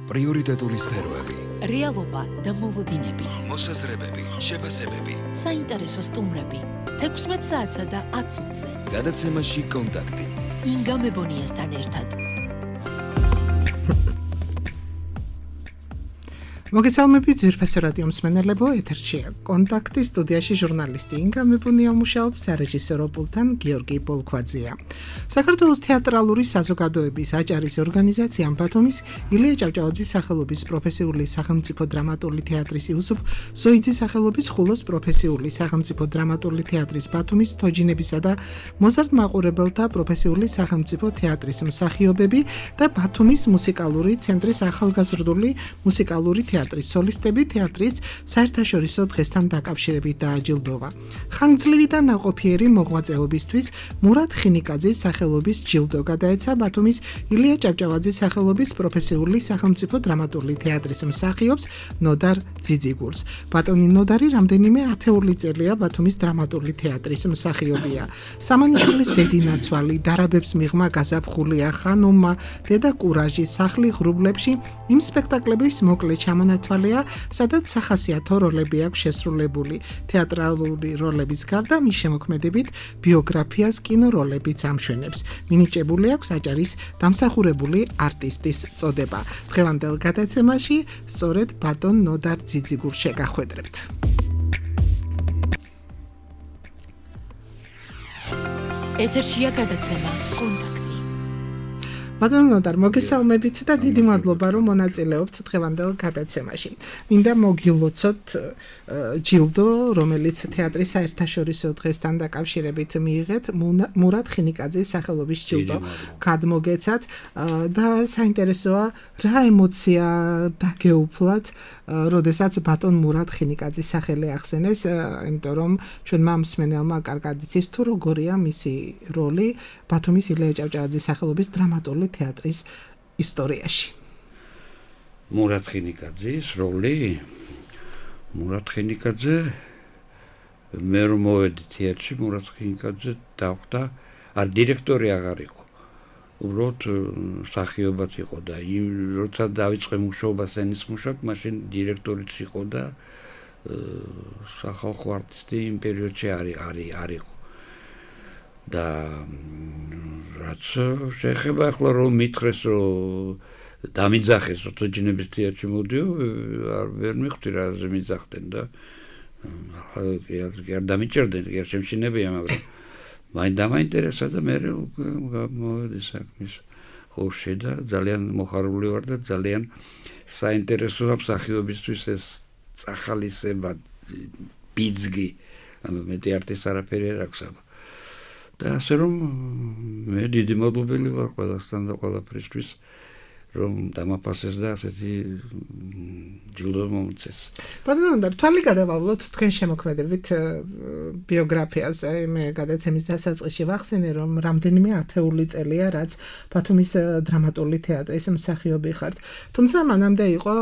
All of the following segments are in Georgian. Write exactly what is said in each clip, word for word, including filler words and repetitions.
პრიორიტეტული სფეროები, რეალობა და მოლოდინები, მოსაზრებები, შეფასებები, საინტერესო სტუმრები, თექვსმეტ საათსა და ათ წუთზე. გადაცემაში კონტაქტი. ინგა მებონიასთან ერთად. მოგესალმებით ძვირფასო რადიო მსმენელებო, ეთერშია კონტაქტი, სტუდიაში ჟურნალისტი ინგა მებონია მუშაობს, სარეჟისორო პულტთან გიორგი ბოლქვაძეა. საქართველოს თეატრალური საზოგადოების აჭარის ორგანიზაცია ბათუმის ილია ჭავჭავაძის სახელობის პროფესიული სახელმწიფო დრამატული თეატრის იუსუფ ზოიძის სახელობის ხულოს პროფესიული სახელმწიფო დრამატული თეატრის ბათუმის თოჯინებისა და მოზარდ მაყურებელთა პროფესიული სახელმწიფო თეატრის მსახიობები და ბათუმის მუსიკალური ცენტრის ახალგაზრდული მუსიკალური თეატრის სოლისტები თეატრის საერთაშორისო დღესთან დაკავშირებით დააჯილდოვა. ხანგრძლივი და ნაყოფიერი მოღვაწეობისთვის მურად ხინიკაძის სახელობის ჯილდო გადაეცა ბათუმის ილია ჭავჭავაძის სახელობის პროფესიული სახელმწიფო დრამატული თეატრის მსახიობს ნოდარ ძიძიგურს. ბატონი ნოდარი რამდენიმე ათეული წელია ბათუმის დრამატული თეატრის მსახიობია. სამანიშვილის დედინაცვალი, დარაბებს მიღმა გაზაფხულია, ხანუმა, დედა კურაჟი, სახლი ღრუბლებში იმ სპექტაკლების მოკლე ჩამონათვალია, სადაც სახასიათო როლები აქვს შესრულებული. თეატრალური როლების გარდა მის შემოქმედებით ბიოგრაფიას კინოროლებიც ამშვენებს. მინიჭებული აქვს აჭარის დამსახურებული არტისტის წოდება. დღევანდელ გადაცემაში სწორედ ბატონ ნოდარ ძიძიგურს შეგახვედრებთ. ეთერშია გადაცემა კონტაქტი. ბატონ ნოდარ, მოგესალმებით და დიდი მადლობა, რომ მონაწილეობთ დღევანდელ გადაცემაში. მინდა მოგილოცოთ ჯილდო, რომელიც თეატრის საერთაშორისო დღესთან დაკავშირებით მიიღეთ, მურად ხინიკაძის სახელობის ჯილდო გადმოგეცათ და საინტერესოა, რა ემოცია დაგეუფლათ, როდესაც ბატონ მურად ხინიკაძის სახელი ახსენეს, იმიტომ რომ ჩვენმა მსმენელმა კარგად იცის თუ როგორია მისი როლი ბათუმის ილია ჭავჭავაძის სახელობის დრამატული თეატრის ისტორიაში. მურად ხინიკაძის როლი? მურად ხინიკაძე, მე რომ მოვედი თეატრში, მურად ხინიკაძე დახვდა, არ დირექტორი აღარ იყო. უბრალოდ მსახიობად იყო და იმ როცა დავიწყე მუშაობა სცენის მუშაკ, მაშინ დირექტორიც იყო და სახალხო არტისტი იმ პერიოდში არ იყო. და რაც შეეხება ახლა რომ მითხრეს რომ დამიძახეს რომ თოჯინების თეატრში მოდიო, არ ვერ მიხვდი რა მიძახდნენ და არ დამიჭერდნენ, არ შემშინებია, მაგრამ მაინც დამაინტერესა და მე მოვედი საქმის ხურში და ძალიან მოხარული ვარ და ძალიან საინტერესოა მსახიობისთვის ეს წახალისება, ბიძგი, მეტი არტის არაფერი არ აქვს აბა. და ასე რომ მე დიდი მადლობელი ვარ ყველასთან და ყველაფრისთვის, რომ დამაფასეს და ასეთი ჯილდო მომწეს. ბატონ ნოდარ, თვალი გადავავლოთ თქვენ შემოქმედებით ბიოგრაფიაზე. მე გადაცემის დასაწყისში ვახსენე, რომ რამდენიმე ათეული წელია, რაც ბათუმის დრამატული თეატრის მსახიობი ხართ. თუმცა მანამდე იყო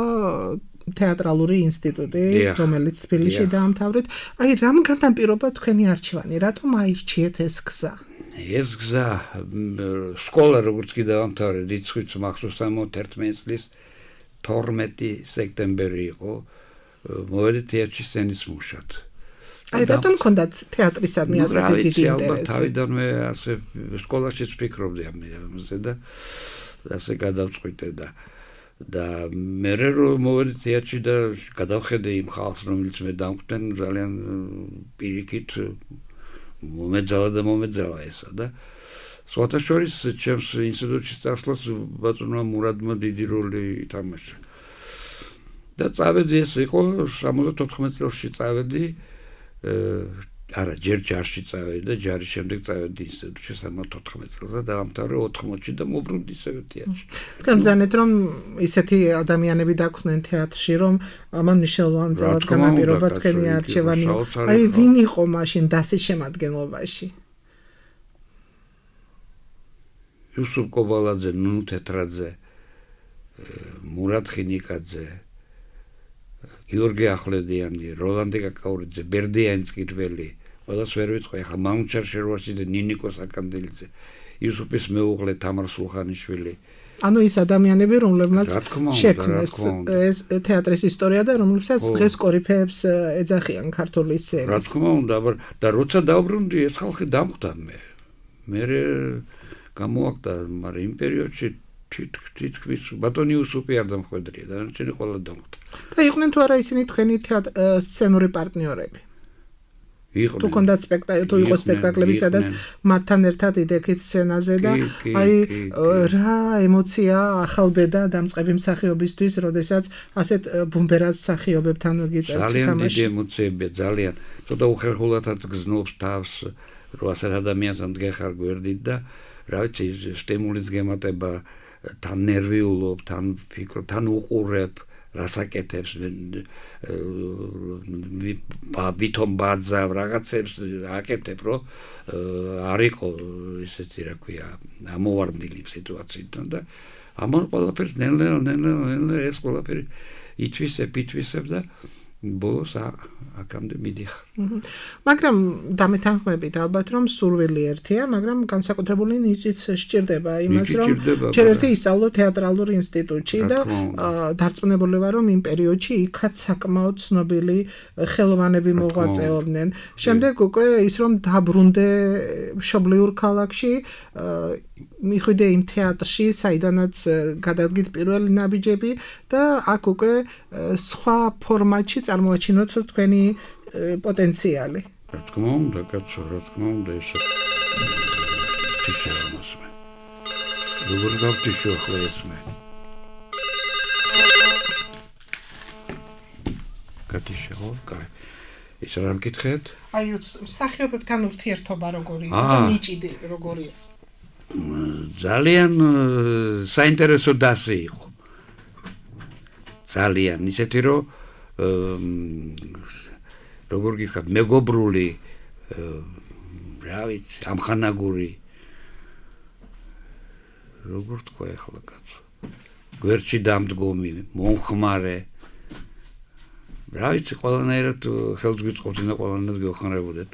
თეატრალური ინსტიტუტი, რომელიც თბილისში დაამთავრეთ. აი, რამ განაპირობა თქვენი არჩევანი? რატომ აირჩიეთ ეს გზა? ეს გზა, სკოლა როგორც კი დაამთავრე, რიცხვიც მახსოვს სამოცდაერთმეტი წლის თორმეტი სექტემბერი იყო, მოვედი თეატრში სცენის მუშად. აი, რატომ გქონდათ თეატრისადმი ასეთი დიდი ინტერესი? თავიდანვე ასე სკოლაშიც ვფიქრობდი ამაზე და ასე გადავწყვიტე და და მე რომ მოვედი თეატრში და გადავხედე იმ ხალხს, რომელიც მე დამკვდნენ, ძალიან პირიქით მომეძალა და მომეძალა ესა და სხვათა შორის ჩემს ინსტიტუტში წასვლას ბატონმა მურადმა დიდი როლი ითამაშა. და წავედი, ეს იყო სამოცდათოთხმეტ წელსში წავედი, არა, ჯერ ჯარში წავედი და ჯარის შემდეგ წავედი ინსტიტუტში სამოცდათოთხმეტ წელს და დაამთავრე ოთხმოცში და მობრუნდი ისევე თეატრში. გამძანეთ რომ ისეთი ადამიანები დაგვხდნენ თეატრში, რომ ამან მნიშვნელოვანი წელად განაპირობა თქვენი არჩევანი. აი, ვინ იყო მაშინ დასის შემადგენლობაში? იუსუფ კობალაძე, ნუნუ თეთრაძე, მურად ხინიკაძე, გიორგი ახვლედიანი, როლანდე კაკაურიძე, ბერდიანი წკირველი, ყველას ვერ ვიტყვი, ახლა მამუჩარ შერვაში და ნინიკო საკანდელიძე, იუსუფის მეუღლე თამარ სულხანიშვილი, ანუ ის ადამიანები, რომლებმაც რა თქმა უნდა, შექმნეს რა თქმა უნდა. ეს თეატრის ისტორია და რომლებსაც ო. დღეს კორიფეებს э, ეძახიან ქართული რა სცენის. თქმა უნდა, აბა და როცა დავბრუნდი ეს ხალხი დამხვდა მე. მე გამოაკდა, მაგრამ იმ პერიოდში თითქმის ბატონი უსუპი არ დამხვედრია, დანარჩენი ყველა დამხვდა. და იყვნენ თუ არა ისინი თქვენი თეატ- э, სცენური პარტნიორები? იყვნენ. თუ კონდათ სპექტაკლი, თუ იყო იყვნენ, სპექტაკლები, სადაც იყვნენ. მათთან ერთად იდექით სცენაზე და კი, კი, აი კი, э, კი. რა ემოცია ახალბედა დამწყები მსახიობისთვის, როდესაც ასეთ э, ბუმბერას მსახიობებთან გიწევთ ძალიან დიდი თამაში. ემოციებია, ძალიან. ცოტა უხერხულადაც გზნობს თავს, რომ ასეთ ადამიანთან დგეხარ გვერდით და რა ვიცი, სტიმულის გემატება, თან ნერვიულობ, თან ფიქრობ, თან უყურებ, რასაკეთებს, ვითომ ბაძავ, რაღაცებს აკეთებ, რომ არ იყო ისეთი, რა ქვია, ამოვარდნილი სიტუაციიდან და ამან ყველაფერს ნელ-ნელა, ნელ-ნელა, ნელ-ნელა ეს ყველაფერი ითვისებ, ითვისებ და ბოლოს აქამდე მიდიხარ. მაგრამ დამეთანხმებით ალბათ რომ სურვილი ერთია, მაგრამ განსაკუთრებული ნიჭიც სჭირდება იმას ნიჭი რომ სჭირდება, ჯერ მაგრამ- ერთი ისწავლო თეატრალურ ინსტიტუტში რა და თქმა უნდა. აა, დარწმუნებული ვარ რომ იმ პერიოდში იქაც საკმაოდ ცნობილი ხელოვანები მოღვაწეობდნენ. შემდეგ უკვე ის რომ დაბრუნდე მშობლიურ ქალაქში, აა, მიხვიდე იმ თეატრში, საიდანაც э, გადადგით პირველი ნაბიჯები და აქ უკვე э, სხვა ფორმატში წარმოაჩინოთ თქვენი э, პოტენციალი. რა თქმა უნდა, კაცო, რა თქმა უნდა ესე. თიშა მასმე. როგორ გავთიშო ახლა ეს მე? კათიშა, კაი. ის რა მკითხეთ? აი მსახიობებთან ურთიერთობა როგორი იყო აა. და ნიჭი როგორია? ძალიან э, საინტერესო დასი იყო. ძალიან ისეთი რომ ემ, როგორ გითხრათ, მეგობრული, э, რა ვიცი, ამხანაგური. როგორ თქვა ახლა კაცო? გვერდში დამდგომი, მომხმარე. რა ვიცი, ყველანაირად ხელს გვიწყობდნენ და ყველანაირად გეუხმარებოდნენ.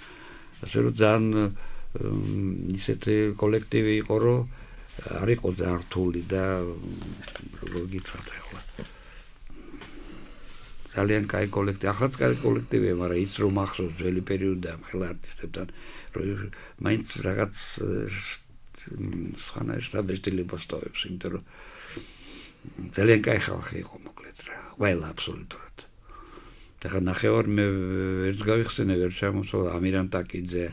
ასე რომ ძალიან ემ, ისეთი კოლექტივი იყო, რომ არ იყო ძალიან რთული და როგორ გითხრათ ახლა. ძალიან კაი კოლექტივი, ახლა კაი კოლექტივია, მაგრამ ის რომ ახსოვს ძველი პერიოდიდან ხელა არტისტებთან, რომ მაინც რაღაც სხვანაირ შტაბეშტილებას ტოვებს, იმიტომ რომ ძალიან კაი ხალხი იყო მოკლედ რა, ყველა აბსოლუტურად. ახლა ნახევარ მე ვერც გავიხსენე, ვერ ჩამოსვლა ამირან ტაკიძე,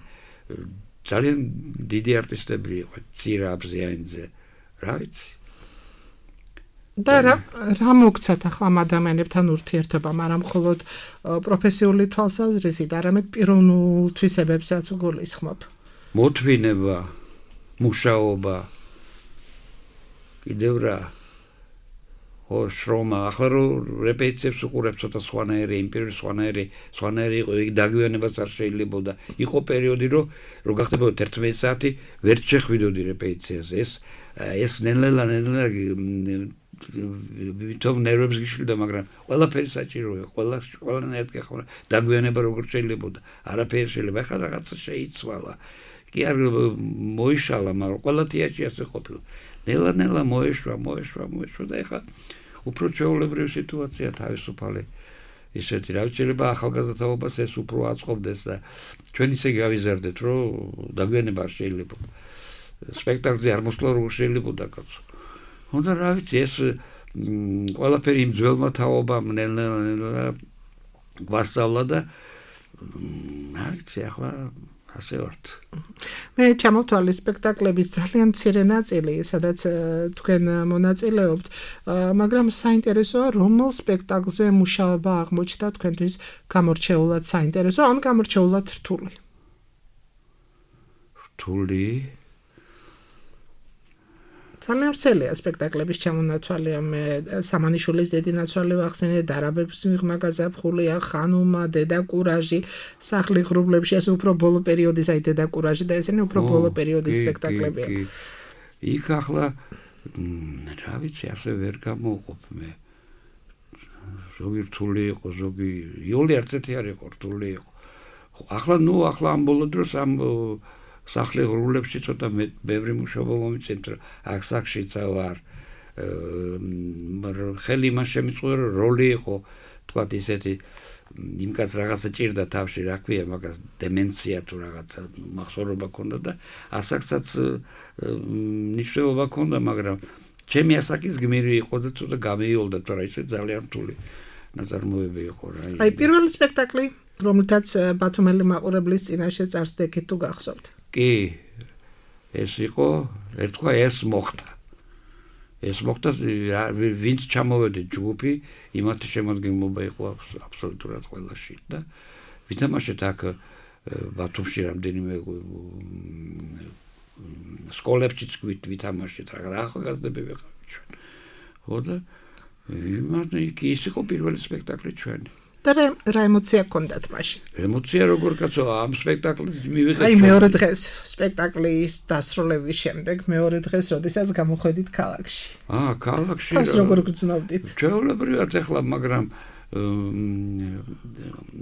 ძალიან დიდი არტისტები იყო, ცირა აბზიანიძე, რა ვიცი. და რა რა მოგცათ ახლა ამ ადამიანებთან ურთიერთობამ, არა მხოლოდ э, პროფესიული თვალსაზრისით, არამედ პიროვნულ თვისებებსაც გულისხმობ. მოთვინება, მუშაობა, კიდევ რა, ხო, შრომა, ახლა რომ რეპეტიციებს უყურებ ცოტა სხვანაირი, იმ პერიოდში სხვანაირი, სხვანაირი იყო, იქ დაგვიანებაც არ შეიძლებოდა. იყო პერიოდი, რომ რო გახდებოდა ერთმეტი საათი, ვერ შეხვიდოდი რეპეტიციაზე. ეს ეს ნელ-ნელა, ნელ-ნელა ვითომ ნერვებს გიშლიდა, მაგრამ ყველაფერი საჭიროა, ყველა ყველანაირად გეხმარა, დაგვიანება როგორ შეიძლებოდა, არაფერი შეიძლება, ახლა რაღაცა შეიცვალა. კი არ მოიშალა, მაგრამ ყველა თეატრში ასე ყოფილა. ნელა-ნელა მოეშვა, მოეშვა, მოეშვა და ახლა უფრო ჩვეულებრივი სიტუაცია თავისუფალი. ისეთი რა ვიცი, შეიძლება ახალგაზრდაობას ეს უფრო აწყობდეს და ჩვენ ისე გავიზარდეთ, რომ დაგვიანება არ შეიძლება. სპექტაკლი არ მოსვლა როგორ შეიძლებოდა კაცო. უნდა რა ვიცი, ეს მ, ყველაფერი იმ ძველმა თაობამ ნელა-ნელა გვასწავლა და მ, რა ვიცი, ახლა ასე ვართ. მე ჩამოვთვალე სპექტაკლების ძალიან მცირე ნაწილი, სადაც э, თქვენ э, მონაწილეობთ, э, მაგრამ საინტერესოა, რომელ სპექტაკლზე მუშაობა აღმოჩნდა თქვენთვის გამორჩეულად საინტერესო, ან გამორჩეულად რთული. რთული ძალიან ვრცელია სპექტაკლების ჩამონაცვალია, მე სამანიშვილის დედი ნაცვალი ვახსენე, დარაბების მიღმა გაზაფხულია, ხანუმა, დედა კურაჟი, სახლი ღრუბლებში, ეს უფრო ბოლო პერიოდის, აი დედა კურაჟი და ესენი უფრო ბოლო პერიოდის კი, სპექტაკლებია. კი, კი. იქ ახლა მ, რა ვიცი, ასე ვერ გამოვყოფ მე. ზოგი რთული იყო, ზოგი იოლი არცეთი არ იყო, რთული იყო. ხო, ახლა ნუ ახლა ამ ბოლო დროს ამ ო, სახლი ღრუბლებში ცოტა მე ბევრი მუშაობა მომიწევთ, აქ სახშიცა ვარ. ხელი მას შემიწყვეტა რომ როლი იყო თქვათ ისეთი იმ კაც რაღაცა ჭირდა თავში რა ქვია მაგას დემენცია თუ რაღაცა მახსოვრობა ქონდა და ასაკსაც ნიშნულობა ქონდა მაგრამ ჩემი ასაკის გმირი იყო და ცოტა გამეიოლდა თორე ისე ძალიან რთული ნაწარმოები იყო რა აი პირველი სპექტაკლი რომელთაც ბათუმელი მაყურებლის წინაშე წარსდექით თუ გახსოვთ კი ეს იყო ერთქვა ეს მოხდა ეს მოხდა ვინც ჩამოვედი ჯგუფი იმათი შემადგენლობა იყო აბსოლუტურად ყველაში და ვითამაშეთ აქ ბათუმში რამდენიმე სკოლებშიც ვითამაშეთ რაღაც ახალგაზრდები ვიყავით ჩვენ ხო და იმათი ის იყო პირველი სპექტაკლი ჩვენი და რა ემოცია გქონდათ მაშინ? ემოცია როგორ კაცო ამ სპექტაკლით მივიღეთ. აი მეორე დღეს სპექტაკლის დასრულების შემდეგ მეორე დღეს როდესაც გამოხვედით ქალაქში. აა ქალაქში. თავს როგორ გრძნობდით? ჩვეულებრივად ახლა მაგრამ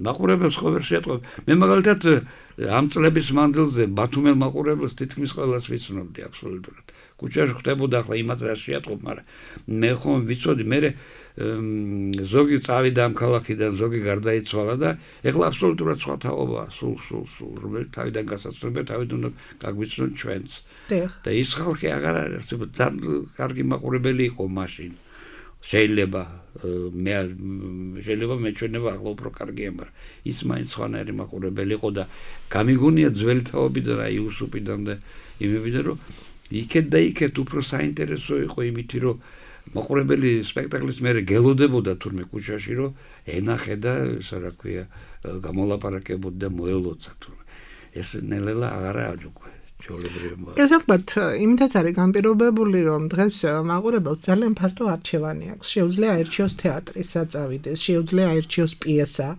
მაყურებელს ხო ვერ შეატყობ. მე მაგალითად ამ წლების მანძილზე ბათუმელ მაყურებელს თითქმის ყველას ვიცნობდი აბსოლუტურად. კუჩაში ხდებოდა ახლა იმათ რა შეატყობ, მაგრამ მე ხომ ვიცოდი მე ზოგი წავიდა ამ ქალაქიდან, ზოგი გარდაიცვალა და ეხლა აბსოლუტურად სხვა თაობაა, სულ სულ სულ რომელიც თავიდან გასაცნობია, თავიდან უნდა გაგვიცნოთ ჩვენც. და ის ხალხი აღარ არის, ძალიან კარგი მაყურებელი იყო მაშინ. შეიძლება მე შეიძლება მეჩვენება ახლა უფრო კარგია, მაგრამ ის მაინც სხვანაირი მაყურებელი იყო და გამიგონია ძველი თაობიდან, აი იუსუპიდან და იმებიდან, რომ იქეთ და იქეთ უფრო საინტერესო იყო იმითი, რომ მაყურებელი სპექტაკლის მერე გელოდებოდა თურმე კუჩაში, რომ ენახე და ისა რა ქვია, გამოლაპარაკებოდა და მოელოცა თურმე. ეს ნელა აღარა არის უკვე. ეს ალბათ იმითაც არის განპირობებული, რომ დღეს მაყურებელს ძალიან ფართო არჩევანი აქვს. შეუძლია აირჩიოს თეატრი, საწავიდეს, შეუძლია აირჩიოს პიესა,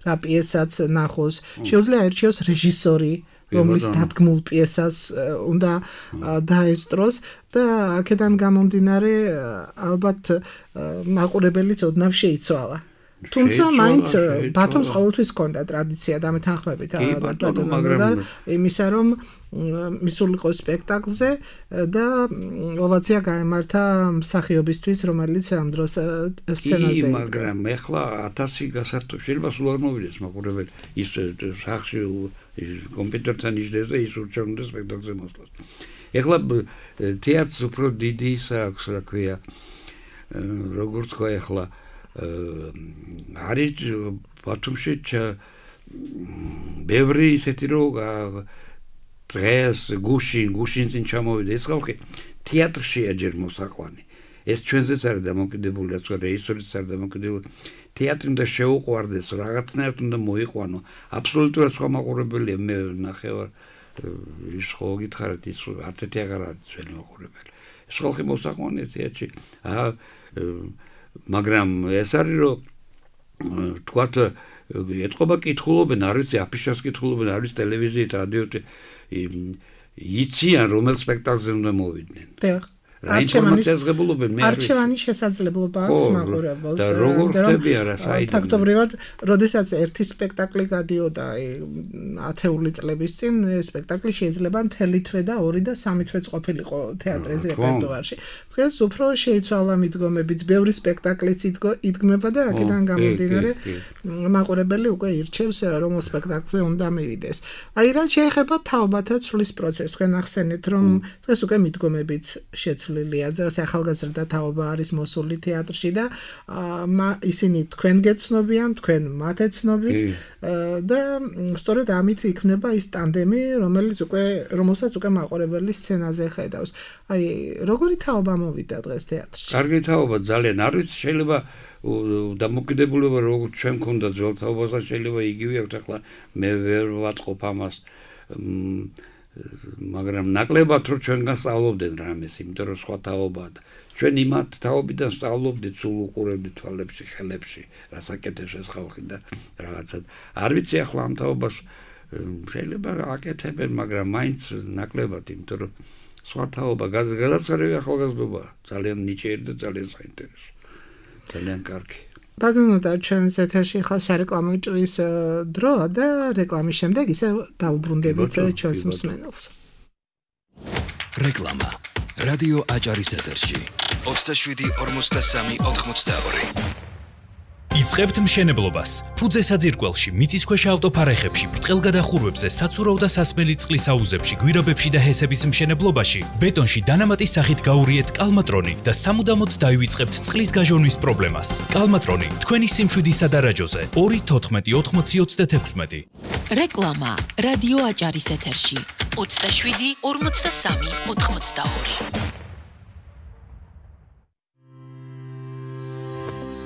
რა პიესაც ნახოს, შეუძლია აირჩიოს რეჟისორი, რომლის დადგმულ პიესას უნდა დაესწროს და აქედან გამომდინარე ალბათ მაყურებელიც ოდნავ შეიცვალა. თუმცა მაინც ბათუმს ყოველთვის ჰქონდა ტრადიცია დამეთანხმებით ბატონო იმისა რომ მისულიყო სპექტაკლზე და ოვაცია გაემართა მსახიობისთვის რომელიც ამ დროს სცენაზე იყო მაგრამ ეხლა ათასი გასართობ შეიძლება სულ არ მოვიდეს მაყურებელი ის სახში კომპიუტერთან იჯდეს და ის ურჩევნდა სპექტაკლზე მოსვლას ეხლა თეატრს უფრო დიდი ის აქვს რა ქვია როგორც თქვა ეხლა არის ბათუმში ბევრი ისეთი რომ დღეს გუშინ გუშინ წინ ჩამოვიდა ეს ხალხი თეატრშია ჯერ მოსაყვანი ეს ჩვენზეც არის დამოკიდებული რაც რეჟისორიც არის დამოკიდებული თეატრი უნდა შეუყვარდეს რაღაცნაირად უნდა მოიყვანო აბსოლუტურად სხვა მაყურებელია მე ნახევარ ის ხო გითხარით ის არც ერთი აღარ არის ძველი მაყურებელი ეს ხალხი მოსაყვანია თეატრში აა მაგრამ ეს არის რომ თქვათ ეთყობა კითხულობენ არის აფიშას კითხულობენ არის ტელევიზიით რადიოთი იციან რომელ სპექტაკლზე უნდა მოვიდნენ არჩევანის შესაძლებლობა აქვს მაყურებელს და როგორ ხდებია რა საიდან ფაქტობრივად როდესაც ერთი სპექტაკლი გადიოდა ათეული წლების წინ სპექტაკლი შეიძლება მთელი თვე და ორი და სამი თვეც ყოფილიყო თეატრის რეპერტუარში დღეს უფრო შეიცვალა მიდგომებიც ბევრი სპექტაკლიც იდგმება და აქედან გამომდინარე მაყურებელი უკვე ირჩევს რომელ სპექტაკლზე უნდა მივიდეს აი რა შეეხება თაობათა ცვლის პროცესს თქვენ ახსენეთ რომ დღეს უკვე მიდგომებიც შეცვლილია ზოგადად ახალგაზრდა თაობა არის მოსული თეატრში და ისინი თქვენ გეცნობიან თქვენ მათ ეცნობით და სწორედ ამით იქნება ის ტანდემი რომელიც უკვე რომელსაც უკვე მაყურებელი სცენაზე ხედავს აი როგორი თაობა მოვიდა დღეს თეატრში კარგი თაობა ძალიან არის შეიძლება დამოკიდებულება როგორც ჩვენ ქონდა ძველ თაობაზე შეიძლება იგივე აქვს ახლა მე ვერ ვაწყობ ამას მაგრამ ნაკლებად რომ ჩვენგან სწავლობდნენ რამეს, იმიტომ რომ სხვა თაობაა და ჩვენ იმათ თაობიდან სწავლობდით, სულ უყურებდით თვალებში, ხელებში, რასაკეთებს ეს ხალხი და რაღაცა. არ ვიცი ახლა ამ თაობას შეიძლება აკეთებენ, მაგრამ მაინც ნაკლებად, იმიტომ რომ სხვა თაობა გადაცარევი ახალგაზრდობა, ძალიან ნიჭიერი და ძალიან საინტერესო. ძალიან კარგი. ბატონო და ჩვენს ეთერში ხა სარეკლამო ჭრის დროა და რეკლამის შემდეგ ისე დავუბრუნდებით ჩვენს მსმენელს. რეკლამა. რადიო აჭარის ეთერში ოცდაშვიდი ორმოცდასამი ოთხმოცდაორი. იწყებთ მშენებლობას. ფუძე საძირკველში, მიწისქვეშა ავტოფარეხებში, ბრტყელგადახურვებზე, საცურაო და სასმელი წყლის აუზებში, გვირაბებში და ჰესების მშენებლობაში, ბეტონში დანამატის სახით გაურიეთ კალმატრონი და სამუდამოდ დაივიწყებთ წყლის გაჟონვის პრობლემას. კალმატრონი თქვენი სიმშვიდისა და რაჯოზე ორი თოთხმეტი ოთხმოცი ოცდათექვსმეტი. რეკლამა რადიო აჭარის ეთერში ოცდაშვიდი ორმოცდასამი ოთხმოცდაორი.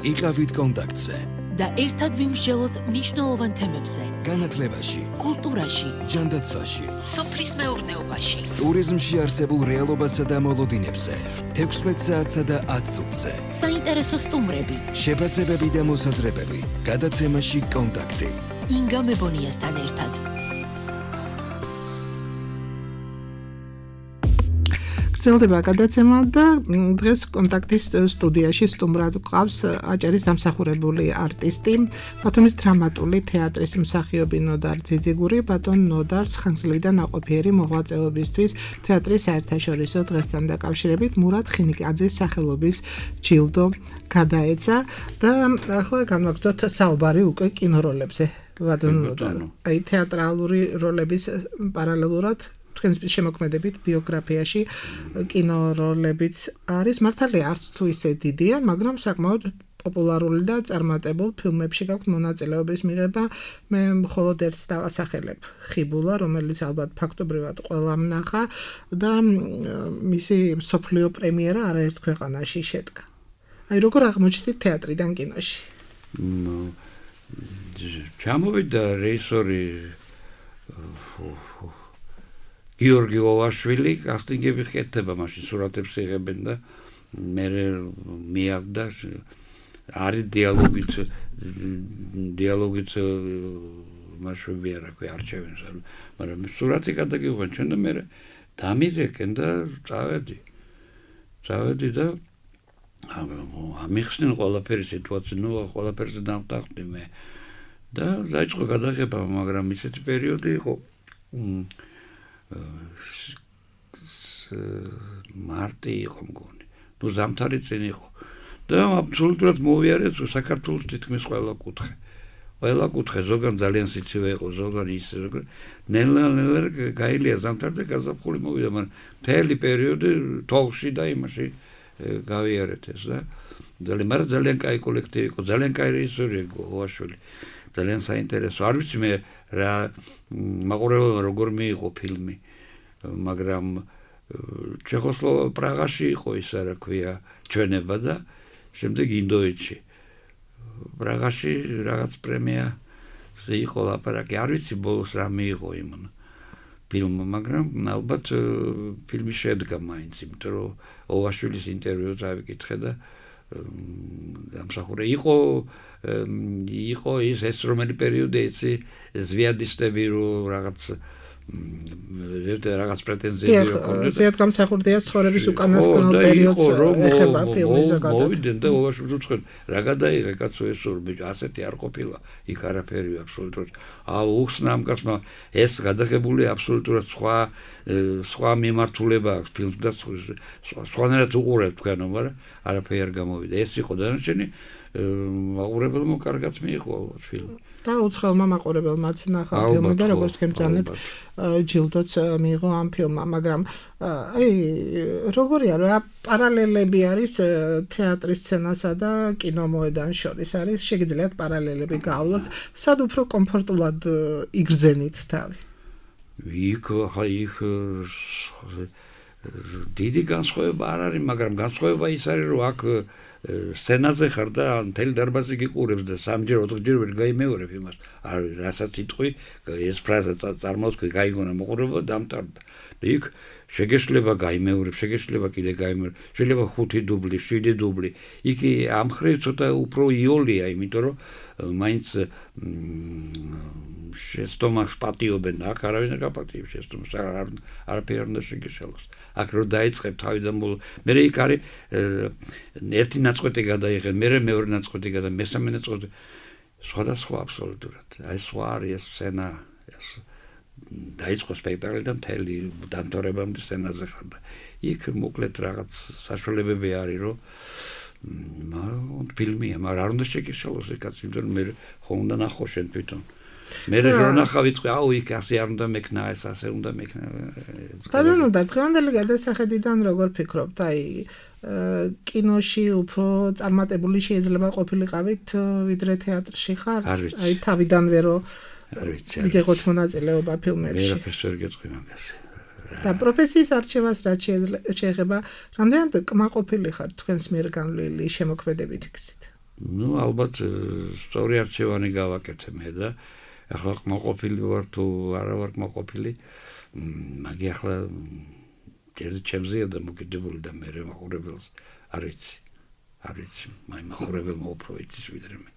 იყავით კონტაქტზე და ერთად ვიმსჯელოთ მნიშვნელოვან თემებზე. განათლებაში, კულტურაში, ჯანდაცვაში, სოფლის მეურნეობაში, ტურიზმში არსებულ რეალობასა და მოლოდინებზე, თექვსმეტ საათსა და ათ წუთზე. საინტერესო სტუმრები, შეფასებები და მოსაზრებები, გადაცემაში კონტაქტი. ინგა მებონიასთან ერთად. გრძელდება გადაცემა და დღეს კონტაქტის სტუდიაში სტუმრად გვყავს აჭარის დამსახურებული არტისტი, ბათუმის დრამატული თეატრის მსახიობი ნოდარ ძიძიგური, ბატონ ნოდარს ხანგრძლივი და ნაყოფიერი მოღვაწეობისთვის თეატრის საერთაშორისო დღესთან დაკავშირებით მურად ხინიკაძის სახელობის ჯილდო გადაეცა და ახლა განვაგრძოთ საუბარი უკვე კინოროლებზე. ბატონ ნოდარ, აი თეატრალური როლების პარალელურად თქვენს შემოქმედებით ბიოგრაფიაში კინოროლებიც არის, მართალია არც თუ ისე დიდია, მაგრამ საკმაოდ პოპულარული და წარმატებულ ფილმებში გაქვთ მონაწილეობის მიღება. მე მხოლოდ ერთს დავასახელებ, ხიბულა, რომელიც ალბათ ფაქტობრივად ყველამ ნახა და მისი მსოფლიო პრემიერა არაერთ ქვეყანაში შედგა. აი როგორ აღმოჩნდით თეატრიდან კინოში? ჩამოვიდა რეჟისორი გიორგი ოვაშვილი, კასტინგები ხეთება, მაშინ სურათებს იღებენ და მე მიაგდა არის დიალოგიც დიალოგიც მაშვები არა ქვი არჩევენ, მაგრამ სურათი გადაგიყვან ჩვენ და მე დამირეკენ და წავედი. წავედი და ამიხსნენ ყველაფერი სიტუაცია, ნუ ყველაფერზე დავტახდი მე და დაიწყო გადაღება, მაგრამ ისეთი პერიოდი იყო მარტი იყო მგონი. ნუ ზამთარი წინ იყო. და აბსოლუტურად მოვიარეთ საქართველოს თითქმის ყველა კუთხე. ყველა კუთხე ზოგან ძალიან სიცივე იყო, ზოგან ის ნელა ნელა გაილია ზამთარი და გაზაფხული მოვიდა, მაგრამ მთელი პერიოდი თოლში და იმაში გავიარეთ ეს და ძალიან მაგრამ ძალიან კაი კოლექტივი იყო, ძალიან კაი რეჟისორი იყო ოვაშვილი. ძალიან საინტერესო. არ ვიცი მე რა მაყურებელმა როგორ მიიღო ფილმი, მაგრამ ჩეხოსლოვაკიაში პრაღაში იყო ისა რა ქვია ჩვენება და შემდეგ ინდოეთში. პრაღაში რაღაც პრემია იყო ლაპარაკი. არ ვიცი ბოლოს რა მიიღო იმ ფილმმა, მაგრამ ალბათ ფილმი შედგა მაინც, იმიტომ რომ ოვაშვილის ინტერვიუს ავიკითხე და დამსახურე იყო იყო ის ეს რომელი პერიოდი იცი ზვიადისტები რო რაღაც რაღაც პრეტენზიები ჰქონდა. ზედ გამსახურდია ცხოვრების უკანასკნელ პერიოდს ეხება ფილმი ზოგადად. მოვიდნენ და ოვაშვილს უცხოდ რა გადაიღე კაცო ეს ორ ბიჭო, ასეთი არ ყოფილა, იქ არაფერი აბსოლუტურად. აუ უხსნა ამ კაცმა ეს გადაღებული აბსოლუტურად სხვა სხვა მიმართულება აქვს ფილმს და სხვანაირად უყურებ თქვენო, მაგრამ არაფერი არ გამოვიდა. ეს იყო დანარჩენი მაყურებელმა კარგად მიიღო ალბათ ფილმი. და უცხოელმა მაყურებელმაც ნახა ფილმი და როგორც გემძანეთ ჯილდოც მიიღო ამ ფილმმა, მაგრამ აი როგორია რა პარალელები არის თეატრის სცენასა და კინომოედან შორის? არის შეგიძლიათ პარალელები გავავლოთ, სად უფრო კომფორტულად იგრძენით თავი? იქ ხა იქ დიდი განსხვავება არ არის, მაგრამ განსხვავება ის არის, რომ აქ სცენაზე ხარ და მთელი დარბაზი გიყურებს და სამჯერ ოთხჯერ ვერ გაიმეორებ იმას. არ რასაც იტყვი, ეს ფრაზა წარმოვთქვი, გაიგონა მოყურება და დამტარდა. იქ შეგეშლება გაიმეორებ, შეგეშლება კიდე გაიმეორებ, შეიძლება ხუთი დუბლი, შვიდი დუბლი. იქ ამ ხრივ ცოტა უფრო იოლია, იმიტომ რომ მაინც შეცდომას პატიობენ, აქ არავინ არ გაპატიებს შეცდომას, არაფერი არ უნდა შეგეშალოს. აქ რო დაიწყებ თავიდან ბოლო, მე იქ არის ერთი ნაწყვეტი გადაიღე, მე მეორე ნაწყვეტი გადა, მესამე ნაწყვეტი სხვადასხვა აბსოლუტურად. აი სხვა არის ეს სცენა, ეს დაიწყო სპექტაკლი და მთელი დამთავრებამდე სცენაზე ხარ და იქ მოკლედ რაღაც საშუალებები არის რომ მაგრამ ფილმია, მაგრამ არ უნდა შეკისელოს ეს კაცი, იმიტომ რომ მე ხომ უნდა ნახო შენ თვითონ. მე რო ნახავ ვიწყე, აუ იქ ასე არ უნდა მექნა, ეს ასე უნდა მექნა. ბატონო, და დღევანდელი გადასახედიდან როგორ ფიქრობთ? აი კინოში უფრო წარმატებული შეიძლება ყოფილიყავით ვიდრე თეატრში ხართ? აი თავიდანვე რო არ ვიცი. მიგეღოთ მონაწილეობა ფილმებში. ვერაფერს ვერ გეტყვი მაგას. და პროფესიის არჩევას რაც შეეხება, რამდენად კმაყოფილი ხართ თქვენს მიერ განვლილი შემოქმედებით იქცით? ნუ ალბათ სწორი არჩევანი გავაკეთე მე და ახლა კმაყოფილი ვარ თუ არა ვარ კმაყოფილი, მაგი ახლა ჯერ ჩემზეა და მოკიდებული და მე მაყურებელს არ ვიცი. არ ვიცი, მაი მაყურებელმა უფრო იცის ვიდრე მე.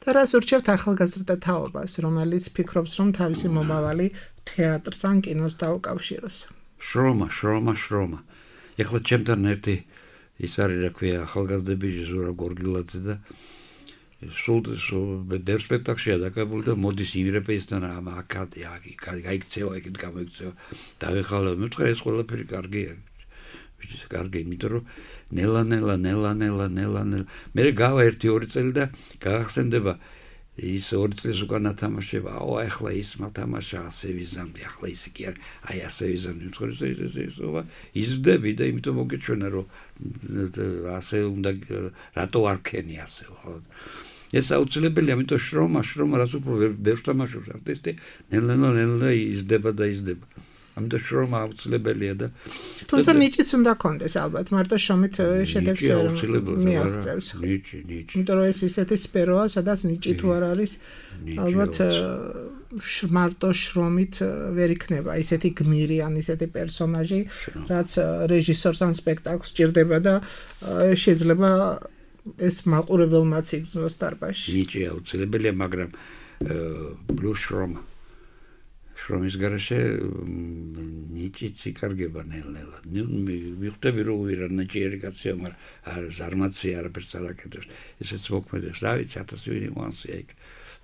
და რას ურჩევთ ახალგაზრდა თაობას, რომელიც ფიქრობს, რომ თავისი მომავალი თეატრს ან კინოს დაუკავშიროს? შრომა, შრომა, შრომა. ეხლა ჩემთან ერთი ის არის, რა ქვია, ახალგაზრდები ზურაბ გორგილაძე და სულ ბევრ სპექტაკლშია დაკავებული და მოდის ირეპეისთან ამ აკადი, აქ გაიქცევა, იქით გამოიქცევა. დავეხალე, მე ვთქვი, ეს ყველაფერი კარგია. ვიცი, კარგი, იმიტომ რომ ნელა ნელა ნელა ნელა ნელა ნელა მე გავა ერთი ორი წელი და გაახსენდება ის ორი წლის უკან ათამაშება, აუ ახლა ის მათამაშა ასე ვიზამდი, ახლა ის კი არ, აი ასე ვიზამდი, თქო იზრდები და იმიტომ მოგეჩვენა რომ ასე უნდა რატო არ ქენი ასე ხო. ეს აუცილებელია, ამიტომ შრომა, შრომა, რაც უფრო ბევრ თამაშობს არტისტი, ნელა ნელა იზრდება და იზრდება. ამიტომ შრომა აუცილებელია და თუმცა ნიჭიც უნდა კონდეს ალბათ, მარტო შრომით შედეგს მიაღწევს. ნიჭი, ნიჭი. იმიტომ რომ ეს ისეთი სფეროა, სადაც ნიჭი თუ არ არის, ალბათ მარტო შრომით ვერ იქნება ისეთი გმირი ან ისეთი პერსონაჟი, რაც რეჟისორს ან სპექტაკლს სჭირდება და შეიძლება ეს მაყურებელმაც იგრძნოს დარბაზში. ნიჭი აუცილებელია, მაგრამ პლუს შრომა. შრომის გარეშე ნიჭიც იკარგება ნელ-ნელა. მივხვდები რომ ვირა ნიჭიერი კაცია, მაგრამ არ ზარმაცი არაფერს არ აკეთებს. ესეც მოქმედებს, რა ვიცი, ათასი ვინი მოანსია იქ.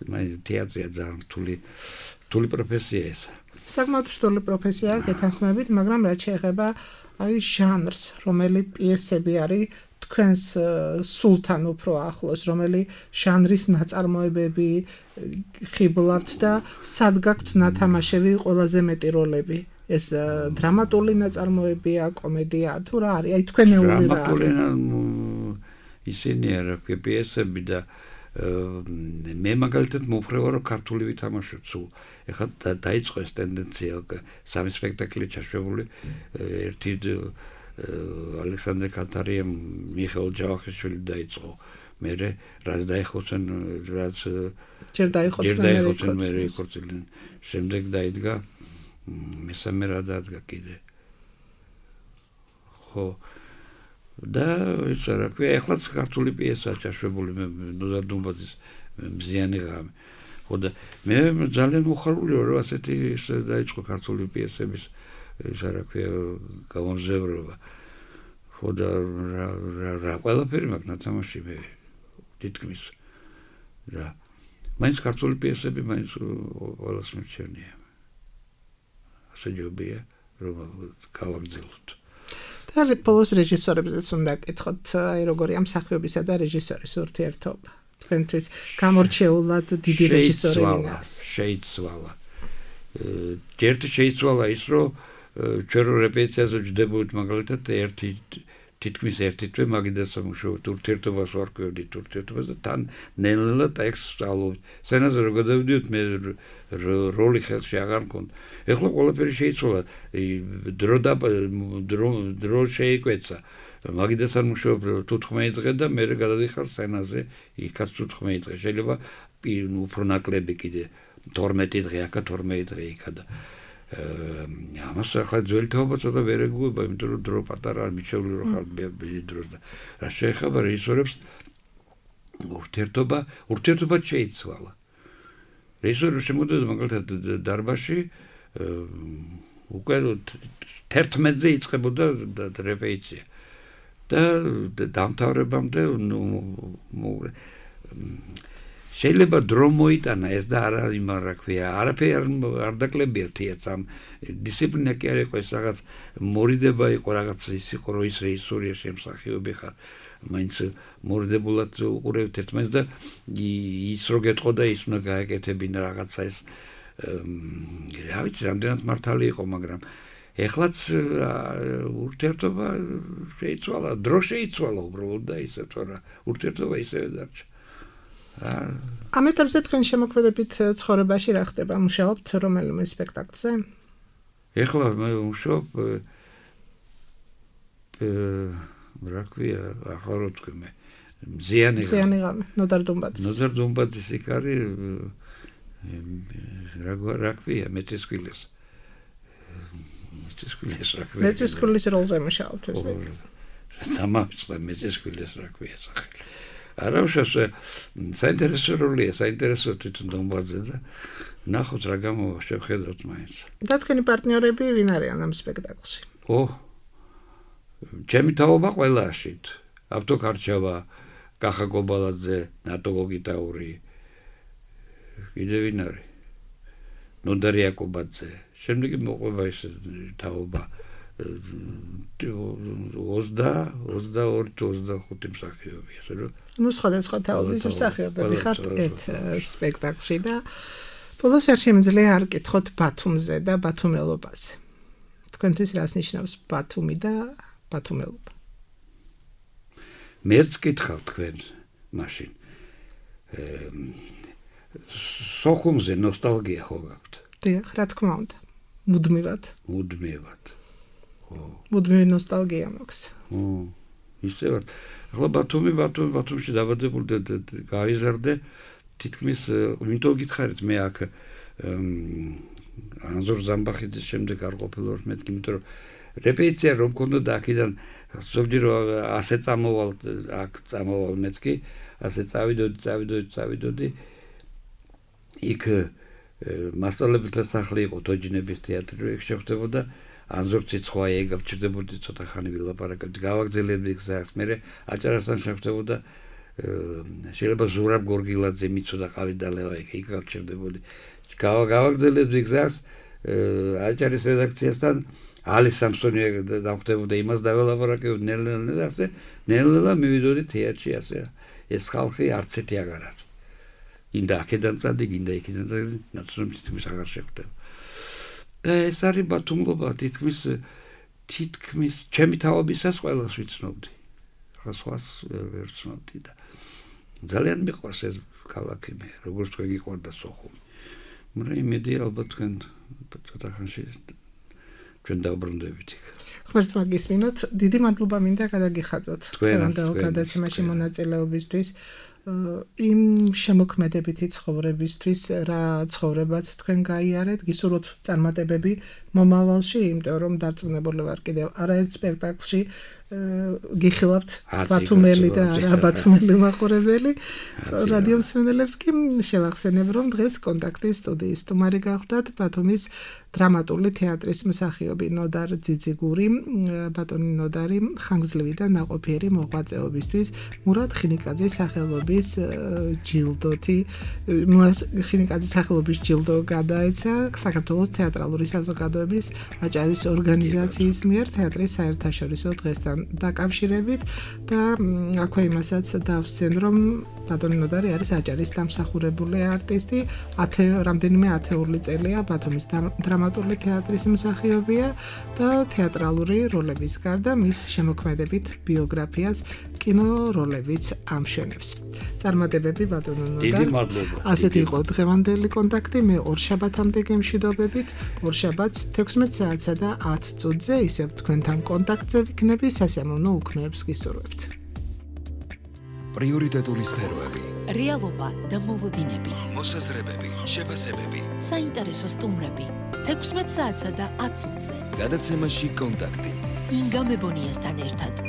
მაგრამ თეატრია ძალიან რთული რთული პროფესია ეს. საკმაოდ რთული პროფესია გეთანხმებით, მაგრამ რაც შეეხება აი ჟანრს, რომელი პიესები არის თქვენს სულთან უფრო ახლოს, რომელი ჟანრის ნაწარმოებები ხიბლავთ და სად გაქვთ ნათამაშები ყველაზე მეტი როლები? ეს დრამატული ნაწარმოებია, კომედია თუ რა არის? აი თქვენეული რა არის? დრამატული ისინია რა ქვია პიესები და მე მაგალითად მოფრევა რომ ქართული ვითამაშოთ სულ. ეხლა დაიწყო ეს ტენდენცია, სამი სპექტაკლი ჩაშვებული, ერთი ალექსანდრე კატარიამ მიხეილ ჯავახიშვილი დაიწყო. მერე რაც დაიხოცენ, რაც ჯერ დაიხოცენ, მერე იქორწილდნენ. შემდეგ დაიდგა მესამე რა დადგა კიდე. ხო. და ის რა ქვია, ეხლაც ქართული პიესაა ჩაშვებული, ნუზარ დუმბაძის მზიანი ღამე. ხო და მე ძალიან მოხარული ვარ, რომ ასეთი დაიწყო ქართული პიესების ის რა ქვია გამომზევრობა. ხო და რა ყველაფერი მაქვს ნათამაში მე თითქმის და მაინც ქართული პიესები მაინც ყველას მერჩენია. ასე ჯობია რომ გავაგრძელოთ. და პოლოს რეჟისორებზეც უნდა კითხოთ, აი როგორი ამ მსახიობისა და რეჟისორის ურთიერთობა. თქვენთვის გამორჩეულად დიდი რეჟისორი ვინ არის? შეიცვალა. ერთი შეიცვალა ის, რომ ჩვენ რეპეტიციაზე ვჯდებოდით მაგალითად ერთი თითქმის ერთი თვე მაგიდას სამუშაოდ ურთიერთობას ვარკვევდით ურთიერთობას და თან ნელ-ნელა ტექსტს სწავლობთ. სცენაზე რო გადავიდიოთ მე როლი ხელში აღარ მქონდა. ეხლა ყველაფერი შეიცვალა, დრო და დრო შეიკვეცა. მაგიდას სამუშაოდ თუთხმეტი დღე და მე გადადიხარ სცენაზე, იქაც თუთხმეტი დღე. შეიძლება უფრო ნაკლები კიდე თორმეტი დღე, აქა თორმეტი დღე იქა და ამას ახლა ძველი თაობა ცოტა ვერ ეგუება, იმიტომ რომ დრო პატარა მიჩეული რო ხარ ბიდი დროს და რა შეეხება რეჟისორებს ურთიერთობა, ურთიერთობა შეიცვალა. რეჟისორი შემოდიოდა მაგალითად დარბაზში, უკვე თერთმეტზე იწყებოდა რეპეტიცია და დამთავრებამდე შეიძლება დრო მოიტანა ეს და არა იმა რა ქვია არაფერი არ დაკლებია თეატრს ამ დისციპლინა კი არ იყო ეს რაღაც მორიდება იყო რაღაც ის იყო რომ ის რეჟისორია შემსახიობი ხარ მაინც მორიდებულად უყურებთ ერთმანეთს და ის რო გეტყოდა ის უნდა გააკეთებინა რაღაცა ეს რა ვიცი რამდენად მართალი იყო მაგრამ ეხლაც ურთიერთობა შეიცვალა დრო შეიცვალა უბრალოდ და ისე თორა ურთიერთობა ისევე დარჩა ამ ეტაპზე თქვენ შემოქმედებით ცხოვრებაში რა ხდება მუშაობთ რომელიმე სპექტაკლზე ეხლა მე ვმუშაობ რა ქვია ახლა რო თქვი მე მზიანი მზიანი ღამე ნოდარ დუმბაძის ნოდარ დუმბაძის იქ არის რა რა ქვია მეტისკვილეს მეტისკვილეს რა ქვია მეტისკვილის როლზე მუშაობთ ესე სამაცხლა მეტისკვილეს რა ქვია სახელი არა უშავსე საინტერესო როლია საინტერესო თვითონ დუმბაძე და ნახოთ რა გამოვა შევხედოთ მაინც და თქვენი პარტნიორები ვინ არიან ამ სპექტაკლში ო ჩემი თაობა ყველაშით ავტო კარჩავა კახა გობალაძე ნატო გოგიტაური კიდე ვინ არის ნოდარ იაკობაძე შემდეგი მოყვება ეს თაობა ოცდაორი ოცდახუთი მსახიობი ასე რომ ნუ სხვადასხვა თაობის მსახიობები ხართ ერთ სპექტაკლში და ბოლოს არ შემიძლია არ კითხოთ ბათუმზე და ბათუმელობაზე თქვენთვის რას ნიშნავს ბათუმი და ბათუმელობა მეც კითხავ თქვენ მაშინ სოხუმზე ნოსტალგია ხო გაქვთ დიახ რა თქმა უნდა მუდმივად მუდმივად მუდმივი ნოსტალგია მაქვს ო ისე ვარ ახლა ბათუმი ბათუმი ბათუმში დაბადებული და გავიზარდე თითქმის ვინტო გითხარით მე აქ ანზორ ზამბახიძის შემდეგ არ ყოფილვარ მეთქი იმიტომ რომ რეპეტიცია რომ მქონდა და აქედან ზოგჯერ ასე წამოვალ აქ წამოვალ მეთქი ასე წავიდოდი წავიდოდი წავიდოდი იქ მასწავლებელთა სახლი იყო თოჯინების თეატრი იქ შეხვდებოდა ანზორ ციცხვაია ეგ გავჭირდებოდი ცოტა ხანი ვილაპარაკებდი გავაგზელებდი გზას მე აჭარასთან შეხვდებოდა შეიძლება ზურაბ გორგილაძე მიცოდა ყავი დალევა იქ იქ გავჭირდებოდი გავაგზელებდი გზას აჭარის რედაქციასთან ალი სამსონია დავხვდებოდა იმას დაველაპარაკებდი ნელ-ნელა და ასე ნელ-ნელა მივიდოდი თეატრში ასე ეს ხალხი არც ერთი აღარ არის ინდა აქედან წადი გინდა იქიდან წადი ნაცნობი თითქმის აღარ შეხვდება და ეს არის ბათუმლობა თითქმის თითქმის ჩემი თაობისას ყველას ვიცნობდი ახლა სხვას ვერ ვცნობდი და ძალიან მიყვარს ეს ქალაქი მე როგორც თქვენ გიყვარდა სოხუმი მაგრამ იმედი ალბათ თქვენ ცოტა ხანში ჩვენ დავბრუნდებით იქ ღმერთმა გისმინოთ დიდი მადლობა მინდა გადაგიხადოთ თქვენთან გადაცემაში მონაწილეობისთვის იმ შემოქმედებითი ცხოვრებისთვის რა ცხოვრებაც თქვენ გაიარეთ გისურვოთ წარმატებები მომავალში იმიტომ რომ დარწმუნებული ვარ კიდევ არაერთ სპექტაკლში გიხილავთ ბათუმელი და არა ბათუმელი მაყურებელი რადიო მსმენელებს კი შევახსენებ რომ დღეს კონტაქტის სტუდიის სტუმარი გახდათ ბათუმის დრამატული თეატრის მსახიობი ნოდარ ძიძიგური ბატონი ნოდარი ხანგრძლივი და ნაყოფიერი მოღვაწეობისთვის მურატ ხინიკაძის სახელობის ჯილდოთი მურატ ხინიკაძის სახელობის ჯილდო გადაეცა საქართველოს თეატრალური საზოგადოების აჭარის ორგანიზაციის მიერ თეატრის საერთაშორისო დღესთან დაკავშირებით და აქვე იმასაც დავსცენ რომ ბატონი ნოდარი არის აჭარის დამსახურებული არტისტი ათე რამდენიმე ათეული წელია ბათუმის დრამატული თეატრის მსახიობია და თეატრალური როლების გარდა მის შემოქმედებით ბიოგრაფიას კინო როლებიც ამშვენებს წარმატებები ბატონო ნოდარ დიდი მადლობა ასეთი იყო დღევანდელი კონტაქტი მე ორ შაბათამდე გემშვიდობებით ორ შაბათს თექვსმეტ საათსა და ათ წუთზე ისევ თქვენთან კონტაქტზე ვიქნები სასიამოვნო უქმეებს გისურვებთ პრიორიტეტული სფეროები რეალობა და მოლოდინები მოსაზრებები შეფასებები საინტერესო სტუმრები თექვსმეტ საათსა და ათ წუთზე გადაცემაში კონტაქტი ინგა მებონიასთან ერთად